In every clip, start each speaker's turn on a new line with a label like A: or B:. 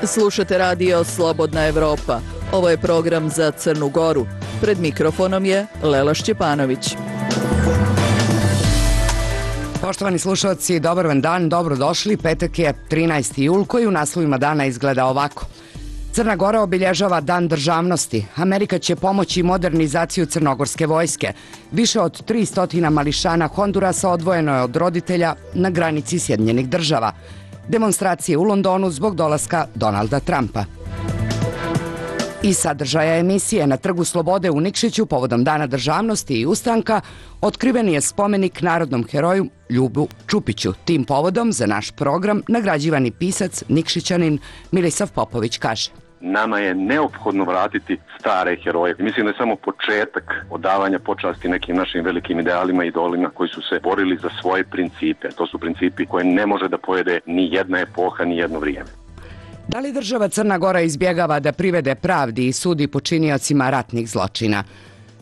A: Slušate radio Slobodna Evropa. Ovo je program za Crnu Goru. Pred mikrofonom je Lela Šćepanović.
B: Poštovani slušalci, dobar vam dan, dobrodošli. Petak je 13. jul koji u naslovima dana izgleda ovako. Crna Gora obilježava Dan državnosti. Amerika će pomoći modernizaciju crnogorske vojske. Više od 300 mališana Hondurasa odvojeno je od roditelja na granici Sjedinjenih država. Demonstracije u Londonu zbog dolaska Donalda Trumpa. Iz sadržaja emisije na Trgu Slobode u Nikšiću povodom Dana državnosti i ustanka otkriven je spomenik narodnom heroju Ljubu Čupiću. Tim povodom za naš program nagrađivani pisac Nikšićanin Milisav Popović kaže:
C: nama je neophodno vratiti stare heroje. Mislim da je samo početak odavanja počasti nekim našim velikim idealima i idolima koji su se borili za svoje principe. To su principi koje ne može da pojede ni jedna epoha, ni jedno vrijeme.
B: Da li država Crna Gora izbjegava da privede pravdi i sudi počiniocima ratnih zločina?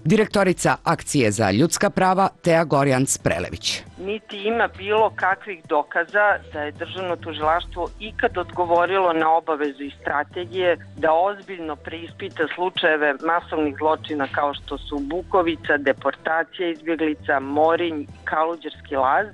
B: Direktorica Akcije za ljudska prava Teja Gorjans-Prelević.
D: Niti ima bilo kakvih dokaza da je državno tužilaštvo ikad odgovorilo na obavezu i strategije da ozbiljno preispita slučajeve masovnih zločina kao što su Bukovica, deportacija izbjeglica, Morinj, Kaluđerski laz.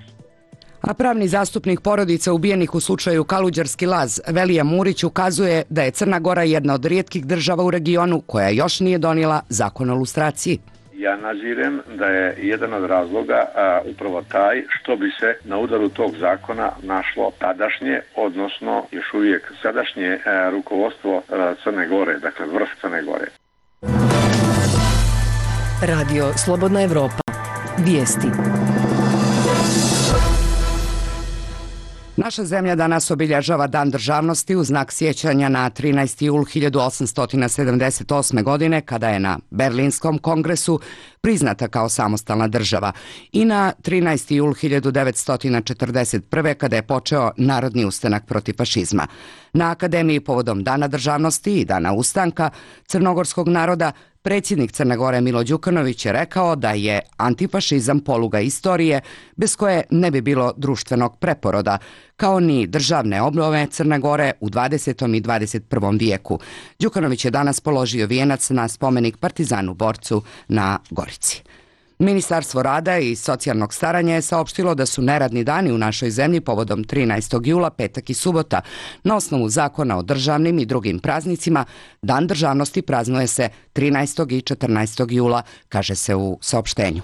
B: A pravni zastupnik porodica ubijenih u slučaju Kaluđerski laz Velija Murić ukazuje da je Crna Gora jedna od rijetkih država u regionu koja još nije donijela zakon o lustraciji.
E: Ja nazirem da je jedan od razloga upravo taj što bi se na udaru tog zakona našlo tadašnje, odnosno još uvijek sadašnje rukovodstvo Crne Gore, dakle vrh Crne Gore.
F: Radio Slobodna Evropa. Vijesti.
B: Naša zemlja danas obilježava Dan državnosti u znak sjećanja na 13. jul 1878. godine kada je na Berlinskom kongresu priznata kao samostalna država i na 13. jul 1941. kada je počeo narodni ustanak protiv fašizma. Na Akademiji povodom Dana državnosti i Dana ustanka crnogorskog naroda predsjednik Crne Gore Milo Đukanović je rekao da je antifašizam poluga istorije bez koje ne bi bilo društvenog preporoda, kao ni državne obnove Crne Gore u 20. i 21. vijeku. Đukanović je danas položio vijenac na spomenik partizanu borcu na Gorici. Ministarstvo rada i socijalnog staranja je saopštilo da su neradni dani u našoj zemlji povodom 13. jula, petak i subota. Na osnovu zakona o državnim i drugim praznicima, Dan državnosti praznuje se 13. i 14. jula, kaže se u saopštenju.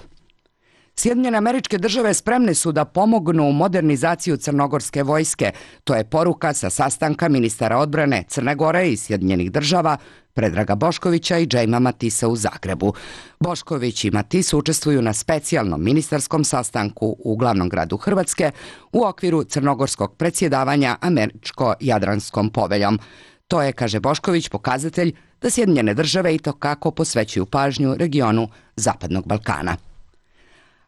B: Sjedinjene Američke Države spremne su da pomognu modernizaciju crnogorske vojske. To je poruka sa sastanka ministara odbrane Crne Gore i Sjedinjenih Država Predraga Boškovića i Džejma Matisa u Zagrebu. Bošković i Matis učestvuju na specijalnom ministarskom sastanku u glavnom gradu Hrvatske u okviru crnogorskog predsjedavanja Američko-Jadranskom poveljom. To je, kaže Bošković, pokazatelj da Sjedinjene Države itekako posvećuju pažnju regionu Zapadnog Balkana.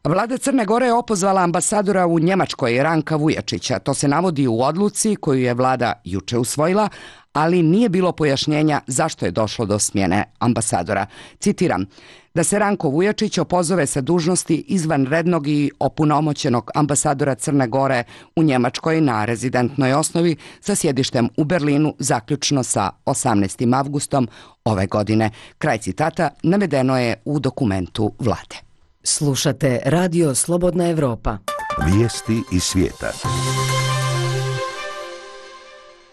B: Vlada Crne Gore je opozvala ambasadora u Njemačkoj Ranka Vujačića. To se navodi u odluci koju je vlada juče usvojila, ali nije bilo pojašnjenja zašto je došlo do smjene ambasadora. Citiram: da se Ranko Vujačić opozove sa dužnosti izvanrednog i opunomoćenog ambasadora Crne Gore u Njemačkoj na rezidentnoj osnovi sa sjedištem u Berlinu zaključno sa 18. avgustom ove godine. Kraj citata navedeno je u dokumentu vlade.
F: Slušate Radio Slobodna Evropa.
G: Vijesti iz svijeta.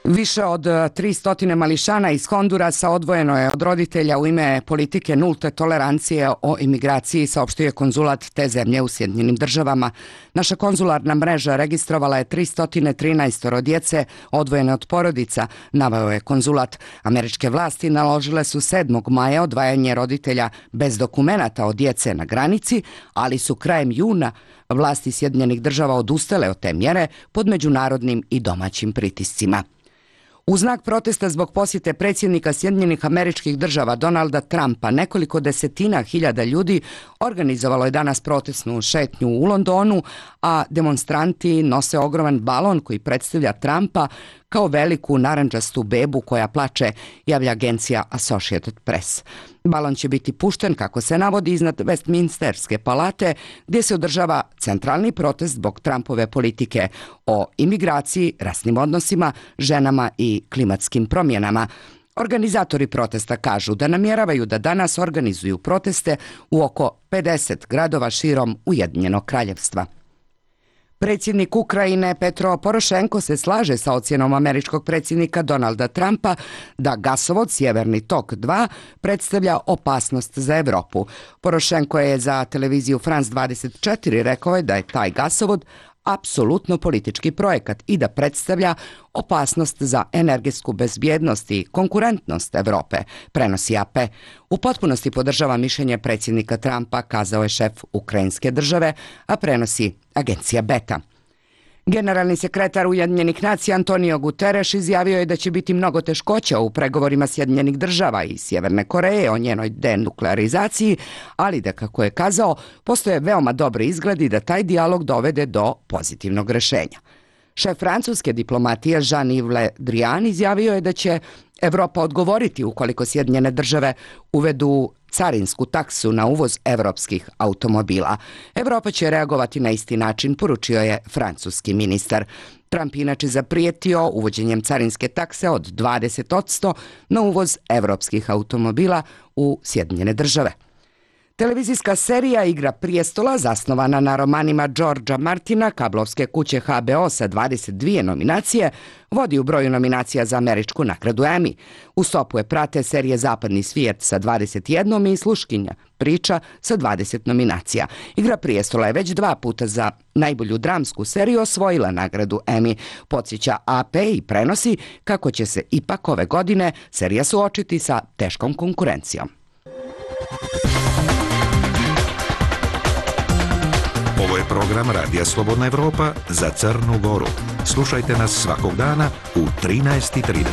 B: Više od 300 mališana iz Hondurasa odvojeno je od roditelja u ime politike nulte tolerancije o imigraciji, saopštio je konzulat te zemlje u Sjedinjenim Državama. Naša konzularna mreža registrovala je 313 djece odvojene od porodica, naveo je konzulat. Američke vlasti naložile su 7. maja odvajanje roditelja bez dokumenata od djece na granici, ali su krajem juna vlasti Sjedinjenih Država odustale od te mjere pod međunarodnim i domaćim pritiscima. U znak protesta zbog posjete predsjednika Sjedinjenih Američkih Država Donalda Trumpa, nekoliko desetina hiljada ljudi organizovalo je danas protestnu šetnju u Londonu, a demonstranti nose ogroman balon koji predstavlja Trumpa kao veliku narandžastu bebu koja plače, javlja agencija Associated Press. Balon će biti pušten, kako se navodi, iznad Westminsterske palate, gdje se održava centralni protest zbog Trumpove politike o imigraciji, rasnim odnosima, ženama i klimatskim promjenama. Organizatori protesta kažu da namjeravaju da danas organizuju proteste u oko 50 gradova širom Ujedinjenog kraljevstva. Predsjednik Ukrajine Petro Porošenko se slaže sa ocjenom američkog predsjednika Donalda Trumpa da gasovod Sjeverni tok 2 predstavlja opasnost za Europu. Porošenko je za televiziju France 24 rekao da je taj gasovod apsolutno politički projekat i da predstavlja opasnost za energetsku bezbjednost i konkurentnost Europe, prenosi AP. U potpunosti podržava mišljenje predsjednika Trumpa, kazao je šef ukrajinske države, a prenosi agencija Beta. Generalni sekretar Ujedinjenih nacija Antonio Guterres izjavio je da će biti mnogo teškoća u pregovorima Sjedinjenih država i Sjeverne Koreje o njenoj denuklearizaciji, ali da, kako je kazao, postoje veoma dobri izgledi da taj dijalog dovede do pozitivnog rješenja. Šef francuske diplomatije Jean-Yves Le Drian izjavio je da će Evropa odgovoriti ukoliko Sjedinjene države uvedu carinsku taksu na uvoz evropskih automobila. Evropa će reagovati na isti način, poručio je francuski ministar. Trump inače zaprijetio uvođenjem carinske takse od 20% na uvoz evropskih automobila u Sjedinjene države. Televizijska serija Igra prijestola, zasnovana na romanima Georgea Martina, kablovske kuće HBO sa 22 nominacije, vodi u broju nominacija za američku nagradu Emmy. U stopu je prate serije Zapadni svijet sa 21 i Sluškinja priča sa 20 nominacija. Igra prijestola je već 2 puta za najbolju dramsku seriju osvojila nagradu Emmy. Podsjeća AP i prenosi kako će se ipak ove godine serija suočiti sa teškom konkurencijom.
G: Ovo je program Radija Slobodna Evropa za Crnu Goru. Slušajte nas svakog dana u 13:30.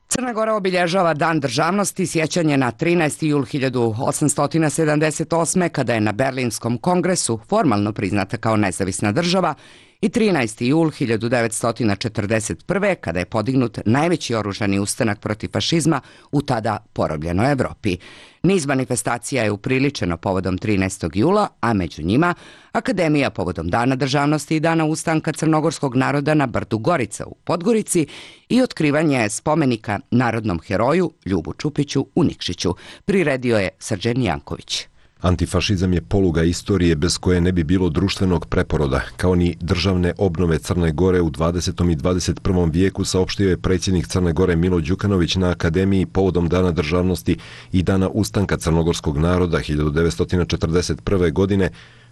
B: Crna Gora obilježava Dan državnosti, sjećanje na 13. jul 1878. kada je na Berlinskom kongresu formalno priznata kao nezavisna država, i 13. jul 1941. kada je podignut najveći oružani ustanak protiv fašizma u tada porobljenoj Evropi. Niz manifestacija je upriličeno povodom 13. jula, a među njima Akademija povodom Dana državnosti i Dana ustanka crnogorskog naroda na brdu Gorica u Podgorici i otkrivanje spomenika narodnom heroju Ljubu Čupiću u Nikšiću. Priredio je Srđan Janković.
H: Antifašizam je poluga istorije bez koje ne bi bilo društvenog preporoda, kao ni državne obnove Crne Gore u 20. i 21. vijeku, saopštio je predsjednik Crne Gore Milo Đukanović na Akademiji povodom Dana državnosti i Dana ustanka crnogorskog naroda 1941. godine,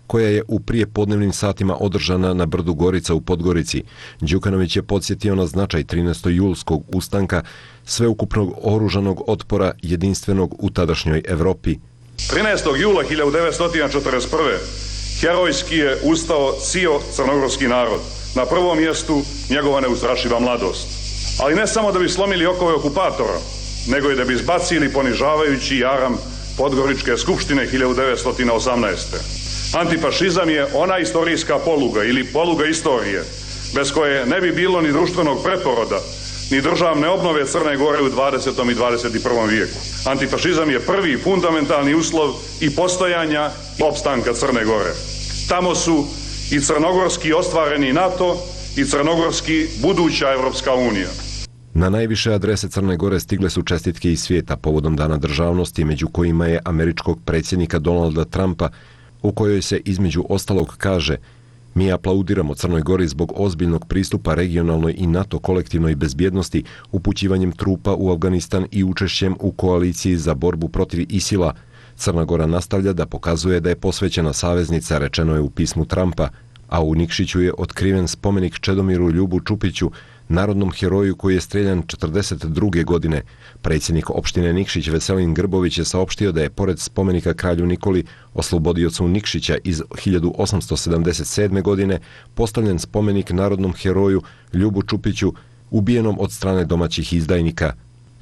H: koja je u prijepodnevnim satima održana na brdu Gorica u Podgorici. Đukanović je podsjetio na značaj 13. julskog ustanka, sveukupnog oružanog otpora jedinstvenog u tadašnjoj Evropi.
I: 13. jula 1941. herojski je ustao cijel crnogorski narod. Na prvom mjestu njegova neustrašiva mladost. Ali ne samo da bi slomili okove okupatora, nego i da bi izbacili ponižavajući jaram Podgoričke skupštine 1918. Antifašizam je ona istorijska poluga ili poluga istorije, bez koje ne bi bilo ni društvenog preporoda, ni državne obnove Crne Gore u 20. i 21. vijeku. Antifašizam je prvi fundamentalni uslov i postojanja i opstanka Crne Gore. Tamo su i crnogorski ostvareni NATO i crnogorski buduća Evropska unija.
H: Na najviše adrese Crne Gore stigle su čestitke iz svijeta povodom Dana državnosti, među kojima je američkog predsjednika Donalda Trumpa, u kojoj se između ostalog kaže: mi aplaudiramo Crnoj Gori zbog ozbiljnog pristupa regionalnoj i NATO kolektivnoj bezbjednosti, upućivanjem trupa u Afganistan i učešćem u koaliciji za borbu protiv ISIL-a. Crna Gora nastavlja da pokazuje da je posvećena saveznica, rečeno je u pismu Trumpa, a u Nikšiću je otkriven spomenik Čedomiru Ljubu Čupiću, narodnom heroju koji je streljan 42. godine. Predsjednik opštine Nikšić Veselin Grbović je saopštio da je pored spomenika kralju Nikoli, oslobodiocu Nikšića iz 1877. godine, postavljen spomenik narodnom heroju Ljubu Čupiću, ubijenom od strane domaćih izdajnika.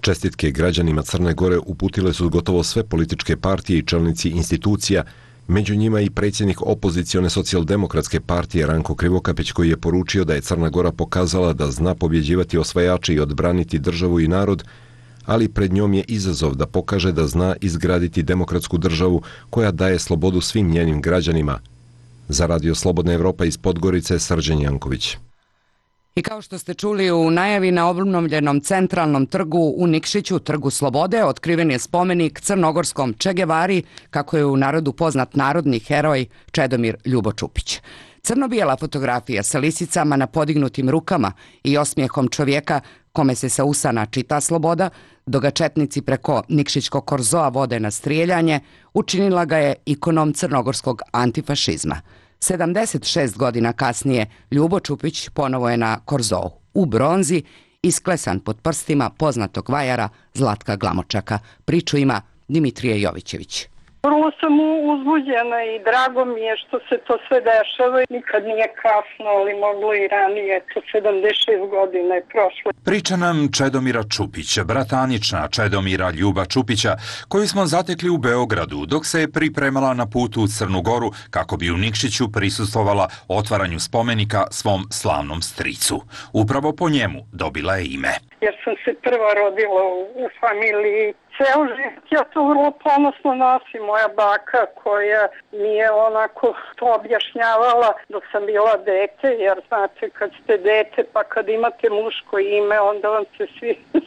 H: Čestitke građanima Crne Gore uputile su gotovo sve političke partije i čelnici institucija, Među njima i predsjednik opozicione socijaldemokratske partije Ranko Krivokapić, koji je poručio da je Crna Gora pokazala da zna pobjeđivati osvajače i odbraniti državu i narod, ali pred njom je izazov da pokaže da zna izgraditi demokratsku državu koja daje slobodu svim njenim građanima. Za Radio Slobodna Evropa iz Podgorice, Srđan Janković.
B: I kao što ste čuli u najavi, na obnovljenom centralnom trgu u Nikšiću, Trgu Slobode, otkriven je spomenik crnogorskom Che Guevari, kako je u narodu poznat narodni heroj Čedomir Ljubo Čupić. Crno-bijela fotografija sa lisicama na podignutim rukama i osmijehom čovjeka kome se sa usana čita sloboda, dok ga četnici preko Nikšićkog korzoa vode na strijeljanje, učinila ga je ikonom crnogorskog antifašizma. 76 godina kasnije Ljubo Čupić ponovo je na korzou, u bronzi, isklesan pod prstima poznatog vajara Zlatka Glamočaka. Priču ima Dimitrije Jovićević.
J: Vrlo sam uzbuđena i drago mi je što se to sve dešava. Nikad nije kasno, ali moglo i ranije. To 76 godina je prošlo.
K: Priča nam Čedomira Čupića, bratanična Čedomira Ljuba Čupića, koju smo zatekli u Beogradu dok se je pripremala na putu u Crnu Goru kako bi u Nikšiću prisustvovala otvaranju spomenika svom slavnom stricu. Upravo po njemu dobila je ime.
J: Jer sam se prva rodila u familiji. Ceo život ja to vrlo ponosno nosim. Moja baka koja mi je onako to objašnjavala dok sam bila dete, jer znate kad ste dete pa kad imate muško ime onda vam se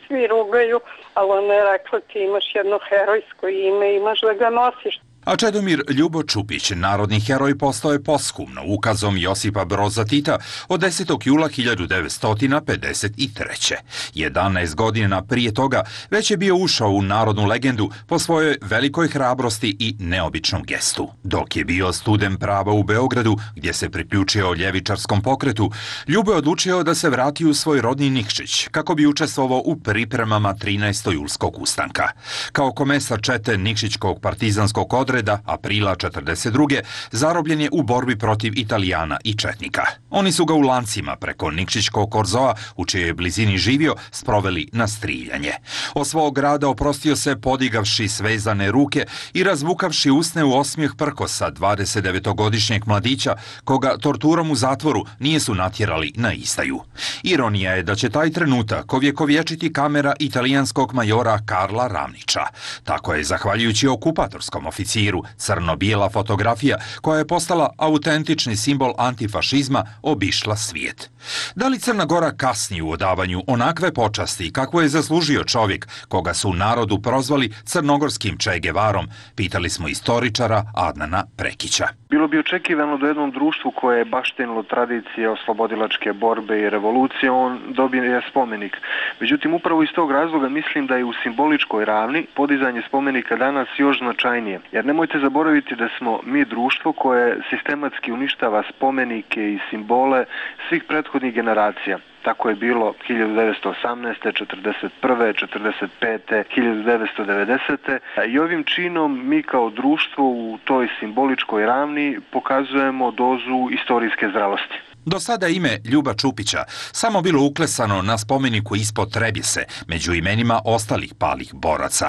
J: svi rugaju, ali ona je rekla ti imaš jedno herojsko ime, imaš da ga nosiš.
K: A Čedomir Ljubo Čupić, narodni heroj, postao je posthumno ukazom Josipa Broza Tita od 10. jula 1953. 11 godina prije toga već je bio ušao u narodnu legendu po svojoj velikoj hrabrosti i neobičnom gestu. Dok je bio student prava u Beogradu, gdje se priključio ljevičarskom pokretu, Ljubo je odlučio da se vrati u svoj rodni Nikšić kako bi učestvovao u pripremama 13. julskog ustanka. Kao komesar čete Nikšićkog partizanskog odreda aprila 1942. zarobljen je u borbi protiv Italijana i četnika. Oni su ga u lancima preko Nikšićkog korzoa, u čijoj blizini živio, sproveli na striljanje. Od svog grada oprostio se podigavši svezane ruke i razvukavši usne u osmijeh prkosa 29-godišnjeg mladića, koga torturom u zatvoru nijesu natjerali na izdaju. Ironija je da će taj trenutak ovjekovječiti kamera italijanskog majora Karla Ramnića. Tako je, zahvaljujući okupatorskom oficiru, crno-bijela fotografija koja je postala autentični simbol antifašizma obišla svijet. Da li Crna Gora kasni u odavanju onakve počasti kako je zaslužio čovjek koga su u narodu prozvali crnogorskim Che Guevarom, pitali smo istoričara Adnana Prekića.
L: Bilo bi očekivano da jednom društvu koje je baštenilo tradicije oslobodilačke borbe i revolucije, on dobije spomenik. Međutim, upravo iz tog razloga mislim da je u simboličkoj ravni podizanje spomenika danas još značajnije. Jer nemojte zaboraviti da smo mi društvo koje sistematski uništava spomenike i simbole svih prethodnih generacija. Tako je bilo 1918., 1941., 1945., 1990. I ovim činom mi kao društvo u toj simboličkoj ravni pokazujemo dozu istorijske zrelosti.
K: Do sada ime Ljuba Čupića samo bilo uklesano na spomeniku ispod Trebjese, među imenima ostalih palih boraca.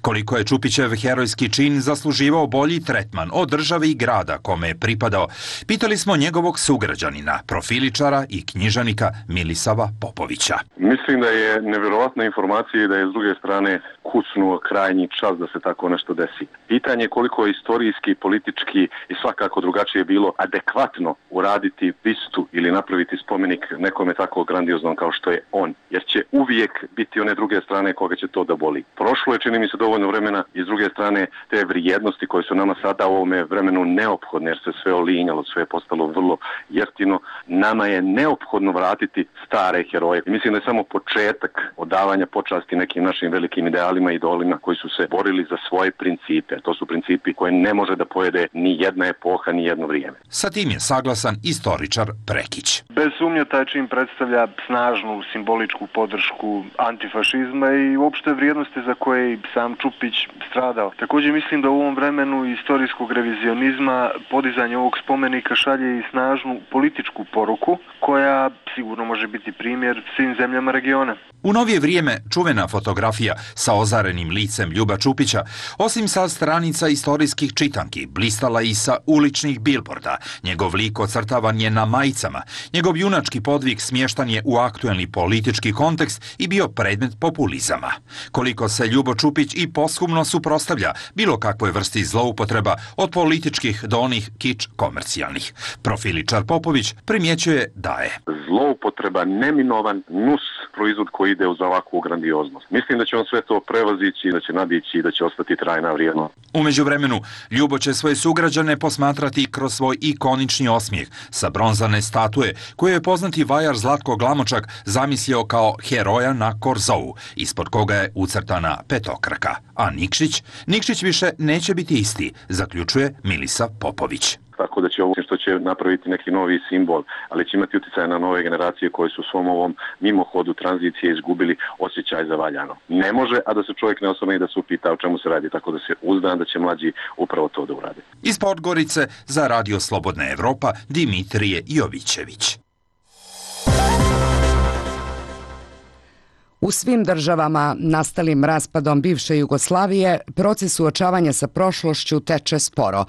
K: Koliko je Čupićev herojski čin zasluživao bolji tretman od države i grada kome je pripadao, pitali smo njegovog sugrađanina, profiličara i knjižanika Milisava Popovića.
C: Mislim da je nevjerovatna informacija i da je s druge strane kucnuo krajnji čas da se tako nešto desi. Pitanje je koliko je istorijski, politički i svakako drugačije bilo adekvatno uraditi bistu ili napraviti spomenik nekome tako grandioznom kao što je on, jer će uvijek biti one druge strane koga će to da boli. Prošlo je, čini mi se, dovoljno vremena i s druge strane te vrijednosti koje su nama sada u ovome vremenu neophodne, jer se sve olinjalo, sve je postalo vrlo jeftino. Nama je neophodno vratiti stare heroje. I mislim da je samo početak odavanja počasti nekim našim velikim idealima i idolima koji su se borili za svoje principe. To su principi koje ne može da pojede ni jedna epoha, ni jedno vrijeme.
K: Sa tim je saglasan istoričar Prekić.
L: Bez sumnje taj čin predstavlja snažnu simboličku podršku antifašizma i uopšte vrijednosti za koje i sam Čupić stradao. Također mislim da u ovom vremenu istorijskog revizionizma podizanje ovog spomenika šalje i snažnu političku poruku koja sigurno može biti primjer svim zemljama regiona.
K: U novije vrijeme čuvena fotografija sa ozarenim licem Ljuba Čupića, osim sa stranica istorijskih čitanki, blistala i sa uličnih bilborda. Njegov lik ocrtavan je na majicama. Njegov junački podvig smještan je u aktuelni politički kontekst i bio predmet populizama. Koliko se Ljubo Čupić i posthumno suprotstavlja bilo kakvoj vrsti zloupotreba od političkih do onih kič komercijalnih. Profiličar Popović primjećuje da je
C: zloupotreba neminovan nus proizvod koji ide uz ovakvu grandioznost. Mislim da će on sve to prevazići, da će nadići i da će ostati trajna vrijednost.
K: U međuvremenu, Ljubo će svoje sugrađane posmatrati kroz svoj ikonični osmijeh sa bronzane statue koju je poznati vajar Zlatko Glamočak zamislio kao heroja na Korzou, ispod koga je ucrtana petokraka. A Nikšić više neće biti isti, zaključuje Milisa Popović.
C: Tako da će ovo što će napraviti neki novi simbol, ali će imati utjecaj na nove generacije koje su u svom ovom mimohodu tranzicije izgubili osjećaj za valjano. Ne može, a da se čovjek ne osvrne i da se upita o čemu se radi, tako da se uzdam da će mlađi upravo to da urade.
K: Iz Podgorice za Radio Slobodna Evropa Dimitrije Jovićević.
B: U svim državama nastalim raspadom bivše Jugoslavije proces suočavanja sa prošlošću teče sporo,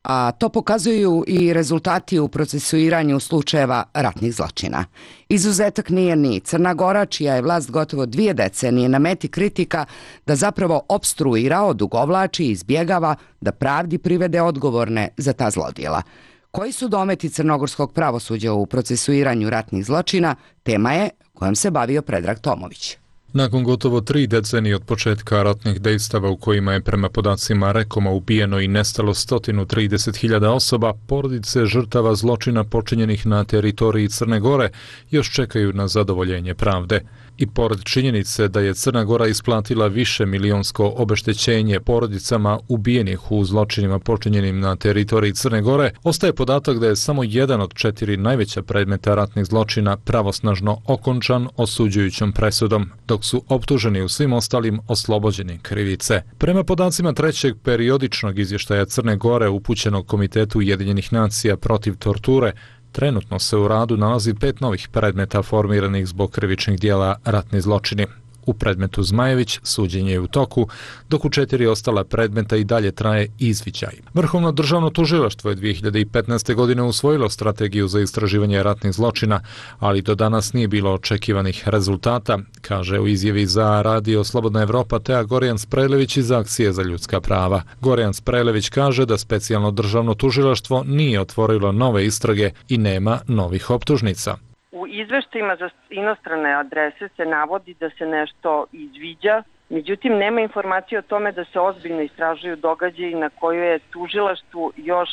B: a to pokazuju i rezultati u procesuiranju slučajeva ratnih zločina. Izuzetak nije ni Crna Gora, čija je vlast gotovo 2 decenije na meti kritika da zapravo opstruira, odugovlači i izbjegava da pravdi privede odgovorne za ta zlodjela. Koji su dometi crnogorskog pravosuđa u procesuiranju ratnih zločina, tema je kojom se bavio Predrag Tomović.
M: Nakon gotovo 3 decenije od početka ratnih dejstava u kojima je prema podacima Rekoma ubijeno i nestalo 130.000 osoba, porodice žrtava zločina počinjenih na teritoriji Crne Gore još čekaju na zadovoljenje pravde. I pored činjenice da je Crna Gora isplatila više milionsko obeštećenje porodicama ubijenih u zločinima počinjenim na teritoriji Crne Gore, ostaje podatak da je samo jedan od 4 najveća predmeta ratnih zločina pravosnažno okončan osuđujućom presudom, dok su optuženi u svim ostalim oslobođeni krivice. Prema podacima 3. periodičnog izvještaja Crne Gore upućenog Komitetu Ujedinjenih nacija protiv torture, trenutno se u radu nalazi 5 novih predmeta formiranih zbog krivičnih dijela ratni zločini. U predmetu Zmajević suđenje je u toku, dok u 4 ostala predmeta i dalje traje izviđaj. Vrhovno državno tužilaštvo je 2015. godine usvojilo strategiju za istraživanje ratnih zločina, ali do danas nije bilo očekivanih rezultata, kaže u izjavi za Radio Slobodna Evropa Teja Gorjan Sprejlević iz Akcije za ljudska prava. Gorjan Sprejlević kaže da specijalno državno tužilaštvo nije otvorilo nove istrage i nema novih optužnica.
D: U izveštajima za inostrane adrese se navodi da se nešto izviđa, međutim nema informacije o tome da se ozbiljno istražuju događaji na koje je tužilaštvu još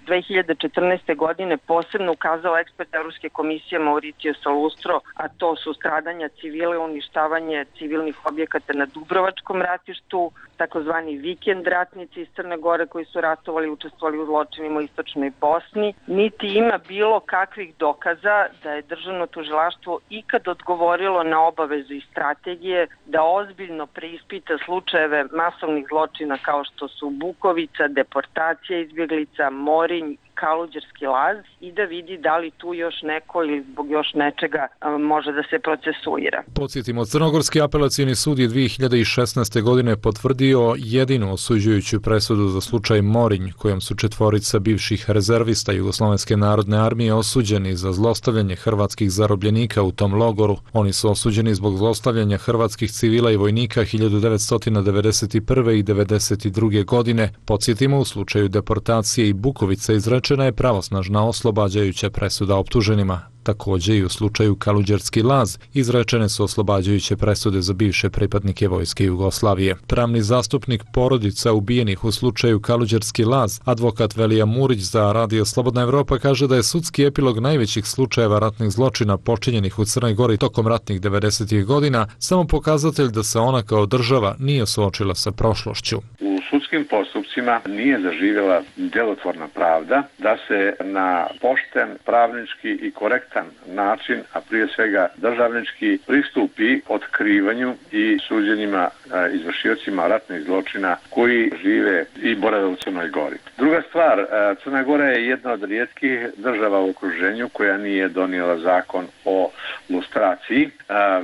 D: 2014. godine posebno ukazao ekspert Evropske komisije Mauricio Salustro, a to su stradanja civile, uništavanje civilnih objekata na Dubrovačkom ratištu, takozvani vikend ratnici iz Crne Gore koji su ratovali i učestvovali u zločinima u istočnoj Bosni, niti ima bilo kakvih dokaza da je državno tužilaštvo ikad odgovorilo na obavezu i strategije da ozbiljno preispita slučajeve masovnih zločina kao što su Bukovica, deportacija izbjeglica, Morinj, Kaluđerski laz i da vidi da li tu još neko ili zbog još nečega može da se procesuira.
M: Podsjetimo, Crnogorski apelacioni sud je 2016. godine potvrdio jedinu osuđujuću presudu za slučaj Morinj, kojom su 4 bivših rezervista Jugoslovenske narodne armije osuđeni za zlostavljanje hrvatskih zarobljenika u tom logoru. Oni su osuđeni zbog zlostavljanja hrvatskih civila i vojnika 1991. i 1992. godine. Podsjetimo, u slučaju deportacije i Bukovice izrečena je pravosnažna oslobađajuća presuda optuženima. Također i u slučaju Kaluđerski laz izrečene su oslobađajuće presude za bivše pripadnike vojske Jugoslavije. Pravni zastupnik porodica ubijenih u slučaju Kaluđerski laz, advokat Velija Murić za Radio Slobodna Evropa, kaže da je sudski epilog najvećih slučajeva ratnih zločina počinjenih u Crnoj Gori tokom ratnih 90. godina samo pokazatelj da se ona kao država nije suočila sa prošlošću.
E: U sudskim postupcima nije zaživjela djelotvorna pravda, da se na pošten, pravnički i korektan način, a prije svega državnički, pristupi otkrivanju i suđenjima izvršiocima ratnih zločina koji žive i borave u Crnoj Gori. Druga stvar, Crna Gora je jedna od rijetkih država u okruženju koja nije donijela zakon o lustraciji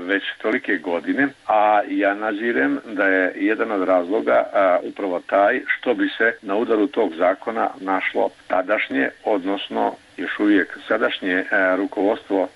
E: već tolike godine, a ja nazirem da je jedan od razloga upravo taj što bi se na udaru tog zakona našlo tadašnje, odnosno još uvijek sadašnje rukovodstvo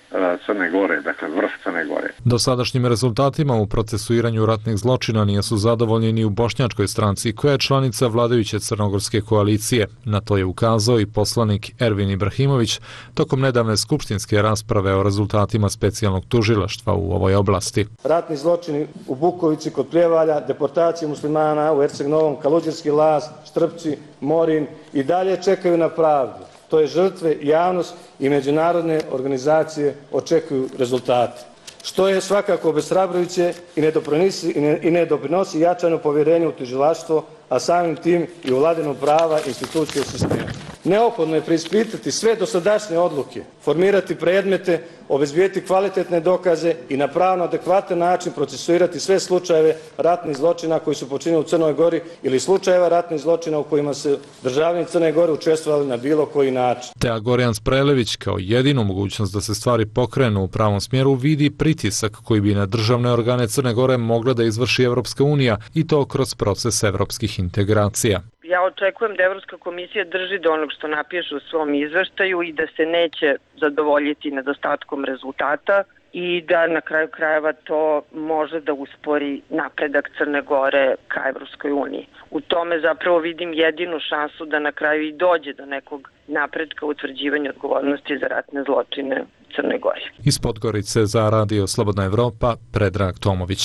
E: Crne Gore, dakle vrh Crne Gore.
M: Dosadašnjim rezultatima u procesuiranju ratnih zločina nisu zadovoljni ni u Bošnjačkoj stranci, koja je članica vladajuće crnogorske koalicije. Na to je ukazao i poslanik Ervin Ibrahimović tokom nedavne skupštinske rasprave o rezultatima specijalnog tužilaštva u ovoj oblasti.
N: Ratni zločini u Bukovici kod Prijevalja, deportacije muslimana u Erceg Novom, Kaluđerski Laz, Štrpci, Morin i dalje čekaju na pravdu. To je žrtve, javnost i međunarodne organizacije očekuju rezultate. Što je svakako obeshrabrujuće i ne doprinosi jačanju povjerenja u tužilaštvo, a samim tim i u vladavinu prava institucije sistema. Neophodno je preispitati sve dosadašnje odluke, formirati predmete, obezbijeti kvalitetne dokaze i na pravno adekvatan način procesuirati sve slučajeve ratnih zločina koji su počinjeni u Crnoj Gori ili slučajeva ratnih zločina u kojima su državljani Crne Gore učestvovali na bilo koji način.
M: Tea Gorjan Sprelević kao jedinu mogućnost da se stvari pokrenu u pravom smjeru vidi pritisak koji bi na državne organe Crne Gore mogla da izvrši Evropska unija i to kroz proces evropskih integracija.
D: Ja očekujem da Evropska komisija drži do onog što napiše u svom izveštaju i da se neće zadovoljiti nedostatkom rezultata i da na kraju krajeva to može da uspori napredak Crne Gore ka Evropskoj uniji. U tome zapravo vidim jedinu šansu da na kraju i dođe do nekog napredka u utvrđivanju odgovornosti za ratne zločine u Crne Gori.
M: Iz Podgorice za Radio Slobodna Evropa, Predrag Tomović.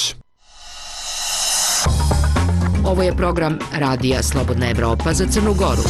F: Ovo je program Radija Slobodna Evropa za Crnu Goru.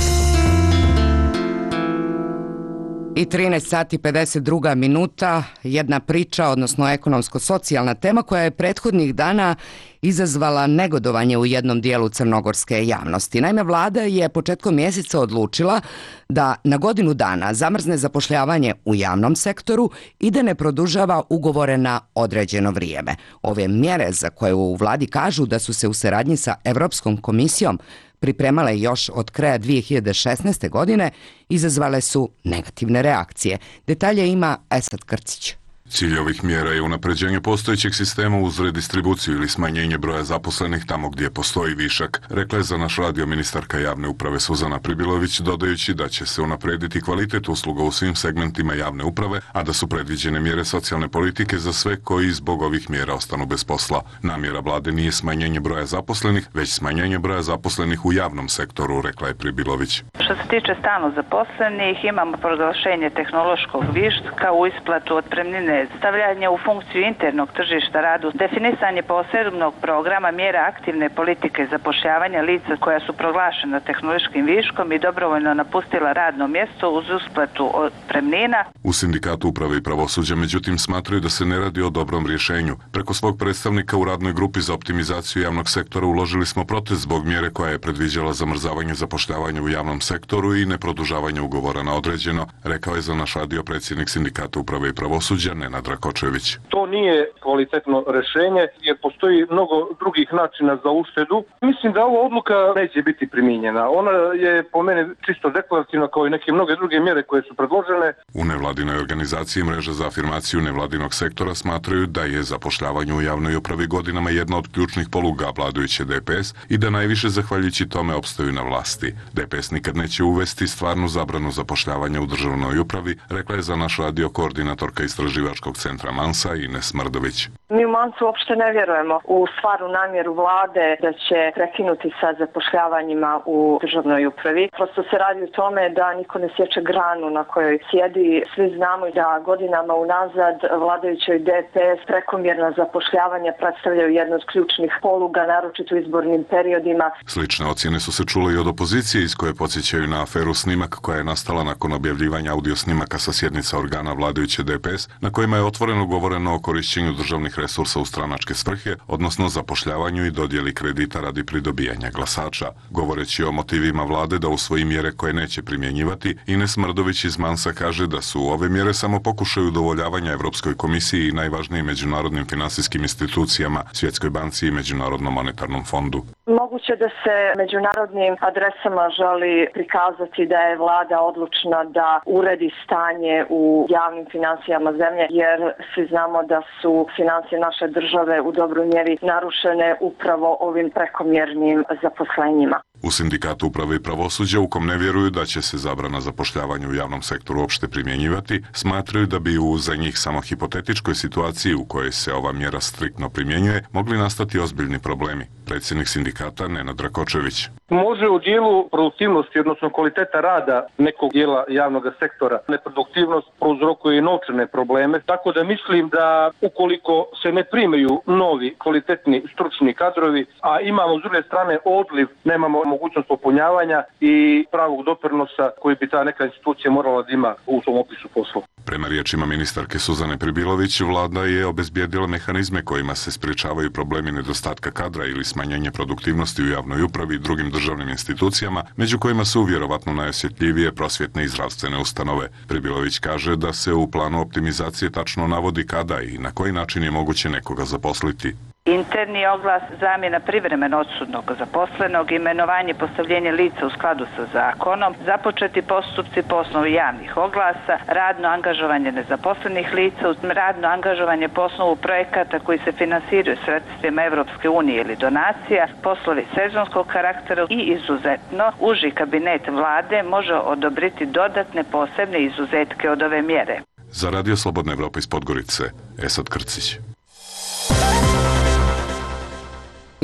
B: I 13 sati 52 minuta, jedna priča, odnosno ekonomsko-socijalna tema koja je prethodnih dana izazvala negodovanje u jednom dijelu crnogorske javnosti. Naime, vlada je početkom mjeseca odlučila da na godinu dana zamrzne zapošljavanje u javnom sektoru i da ne produžava ugovore na određeno vrijeme. Ove mjere za koje u vladi kažu da su se u saradnji sa Evropskom komisijom pripremale još od kraja 2016. godine, izazvale su negativne reakcije. Detalje ima Esad Krcić.
O: Cilj ovih mjera je unapređenje postojećeg sistema uz redistribuciju ili smanjenje broja zaposlenih tamo gdje postoji višak, rekla je za naš radio ministarka javne uprave Suzana Pribilović, dodajući da će se unaprediti kvalitet usluga u svim segmentima javne uprave, a da su predviđene mjere socijalne politike za sve koji zbog ovih mjera ostanu bez posla. Namjera vlade nije smanjenje broja zaposlenih, već smanjenje broja zaposlenih u javnom sektoru, rekla je Pribilović.
P: Što se tiče stalno zaposlenih, imamo proglašenje tehnološkog viška u isplatu otpremnine, stavljanje u funkciju internog tržišta radu, definisanje posebnog programa mjera aktivne politike zapošljavanja lica koja su proglašena tehnološkim viškom i dobrovoljno napustila radno mjesto uz isplatu otpremnina.
O: U Sindikatu uprave i pravosuđa međutim smatraju da se ne radi o dobrom rješenju. Preko svog predstavnika u radnoj grupi za optimizaciju javnog sektora uložili smo protest zbog mjere koja je predviđala zamrzavanje zapošljavanja u javnom sektoru i neprodužavanje ugovora na određeno, rekao je za naš radio predsjednik Sindikata uprave i pravosuđa Nenad Rakočević.
Q: To nije kvalitetno rješenje jer postoji mnogo drugih načina za uštedu. Mislim da ova odluka neće biti primijenjena. Ona je po meni čisto deklarativna kao i neke mnoge druge mjere koje su predložene.
O: U nevladinoj organizaciji Mreža za afirmaciju nevladinog sektora smatraju da je zapošljavanje u javnoj upravi godinama jedna od ključnih poluga vladajuće DPS i da najviše zahvaljujući tome opstaju na vlasti. DPS nikad neće uvesti stvarnu zabranu zapošljavanja u državnoj upravi, rekla je za naš radio koordinatorka istraživačkog centra Mansa Ines Mrdović.
R: Mi u Mansu uopšte ne vjerujemo u stvarnu namjeru vlade da će prekinuti sa zapošljavanjima u državnoj upravi. Prosto se radi o tome da niko ne sječe granu na kojoj sjedi. Svi znamo da godinama unazad vladajućoj DPS prekomjerna zapošljavanja predstavljaju jednu od ključnih poluga, naročito u izbornim periodima.
O: Slične ocjene su se čule i od opozicije iz koje podsjećaju na aferu Snimak koja je nastala nakon objavljivanja audio snimaka sa sjednica organa vladajuće DPS na koje kojima je otvoreno govoreno o korišćenju državnih resursa u stranačke svrhe, odnosno zapošljavanju i dodjeli kredita radi pridobijanja glasača. Govoreći o motivima vlade da usvoji mjere koje neće primjenjivati, Ines Mrdović iz Mansa kaže da su ove mjere samo pokušaj udovoljavanja Evropskoj komisiji i najvažnijim međunarodnim finansijskim institucijama, Svjetskoj banci i Međunarodnom monetarnom fondu.
R: Moguće da se međunarodnim adresama želi prikazati da je vlada odlučna da uredi stanje u javnim financijama zemlje, jer svi znamo da su financije naše države u dobroj mjeri narušene upravo ovim prekomjernim zaposlenjima.
O: U Sindikatu uprave i pravosuđa, u kom ne vjeruju da će se zabrana zapošljavanja u javnom sektoru uopšte primjenjivati, smatraju da bi u za njih samo hipotetičkoj situaciji u kojoj se ova mjera striktno primjenjuje mogli nastati ozbiljni problemi. Predsjednik sindikata Nenad Rakočević.
Q: Može u dijelu produktivnosti, odnosno kvaliteta rada nekog dijela javnog sektora, neproduktivnost prouzrokuje i novčane probleme, tako da mislim da ukoliko se ne primaju novi kvalitetni stručni kadrovi, a imamo s druge strane odliv, nemamo mogućnost popunjavanja i pravog doprinosa koji bi ta neka institucija morala da ima u svom opisu posla.
O: Prema riječima ministarke Suzane Pribilović, vlada je obezbijedila mehanizme kojima se sprječavaju problemi nedostatka kadra ili smanjenje produktivnosti u javnoj upravi i drugim državnim institucijama, među kojima su vjerovatno najosjetljivije prosvjetne i zdravstvene ustanove. Pribilović kaže da se u planu optimizacije tačno navodi kada i na koji način je moguće nekoga zaposliti.
P: Interni oglas, zamjena privremeno odsutnog zaposlenog, imenovanje i postavljenje lica u skladu sa zakonom, započeti postupci po osnovu javnih oglasa, radno angažovanje nezaposlenih lica, radno angažovanje po osnovu projekata koji se finansiraju sredstvima Evropske unije ili donacija, poslovi sezonskog karaktera i izuzetno uži kabinet vlade može odobriti dodatne posebne izuzetke od ove mjere.
O: Za Radio Slobodna Evropa iz Podgorice, Esad Krcić.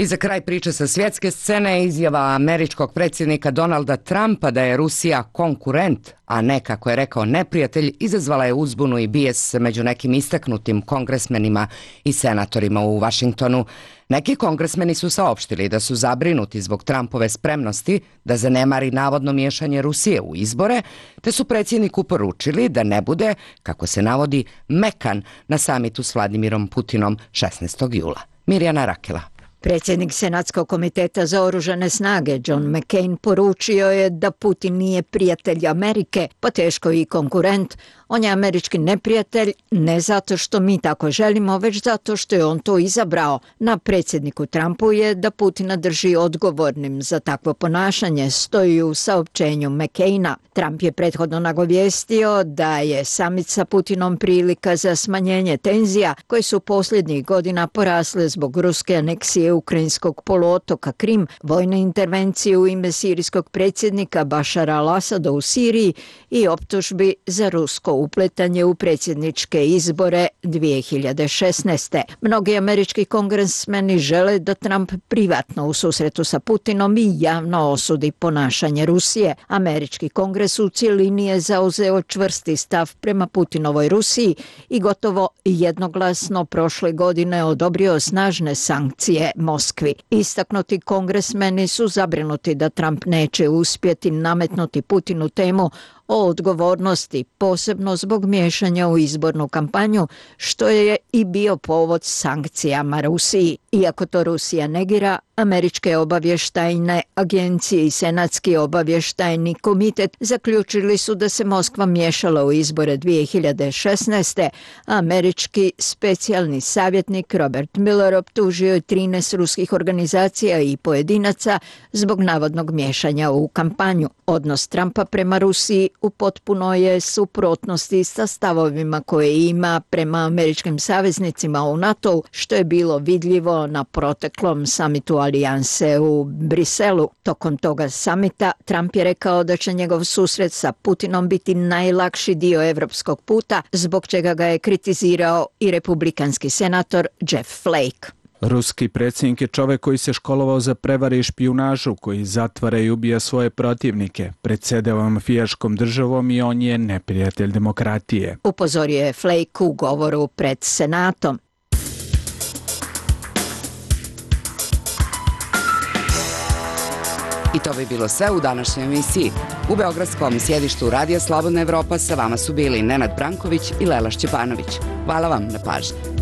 B: I za kraj priče sa svjetske scene, izjava američkog predsjednika Donalda Trumpa da je Rusija konkurent, a ne, kako je rekao, neprijatelj, izazvala je uzbunu i bijes među nekim istaknutim kongresmenima i senatorima u Vašingtonu. Neki kongresmeni su saopštili da su zabrinuti zbog Trumpove spremnosti da zanemari navodno miješanje Rusije u izbore, te su predsjedniku poručili da ne bude, kako se navodi, mekan na samitu s Vladimirom Putinom 16. jula. Mirjana Rakela.
S: Predsjednik Senatskog komiteta za oružane snage John McCain poručio je da Putin nije prijatelj Amerike, pa teško i konkurent. On je američki neprijatelj ne zato što mi tako želimo, već zato što je on to izabrao. Na predsjedniku Trumpu je da Putina drži odgovornim za takvo ponašanje, stoji u saopćenju McCaina. Trump je prethodno nagovijestio da je samit sa Putinom prilika za smanjenje tenzija koje su posljednjih godina porasle zbog ruske aneksije ukrajinskog poluotoka Krim, vojne intervencije u ime sirijskog predsjednika Bašara al-Asada u Siriji i optužbi za rusko upletanje u predsjedničke izbore 2016. Mnogi američki kongresmeni žele da Trump privatno u susretu sa Putinom i javno osudi ponašanje Rusije. Američki kongres u cjelini je zauzeo čvrsti stav prema Putinovoj Rusiji i gotovo jednoglasno prošle godine odobrio snažne sankcije Moskvi. Istaknuti kongresmeni su zabrinuti da Trump neće uspjeti nametnuti Putinu temu o odgovornosti, posebno zbog miješanja u izbornu kampanju, što je i bio povod sankcijama Rusiji. Iako to Rusija negira, američke obavještajne agencije i Senatski obavještajni komitet zaključili su da se Moskva miješala u izbore 2016. Američki specijalni savjetnik Robert Mueller optužio je 13 ruskih organizacija i pojedinaca zbog navodnog miješanja u kampanju. Odnos Trumpa prema Rusiji u potpuno je suprotnosti sa stavovima koje ima prema američkim saveznicima u NATO-u, što je bilo vidljivo na proteklom samitu alijanse u Briselu. Tokom toga samita Trump je rekao da će njegov susret sa Putinom biti najlakši dio evropskog puta, zbog čega ga je kritizirao i republikanski senator Jeff Flake.
T: Ruski predsjednik je čovjek koji se školovao za prevare i špijunažu, koji zatvara i ubija svoje protivnike, predsjedava mafijaškom državom i on je neprijatelj demokratije.
S: Upozorio je Flake u govoru pred Senatom.
B: I to bi bilo sve u današnjoj emisiji. U beogradskom sjedištu Radija Slobodna Evropa sa vama su bili Nenad Branković i Lela Šćepanović. Hvala vam na pažnji.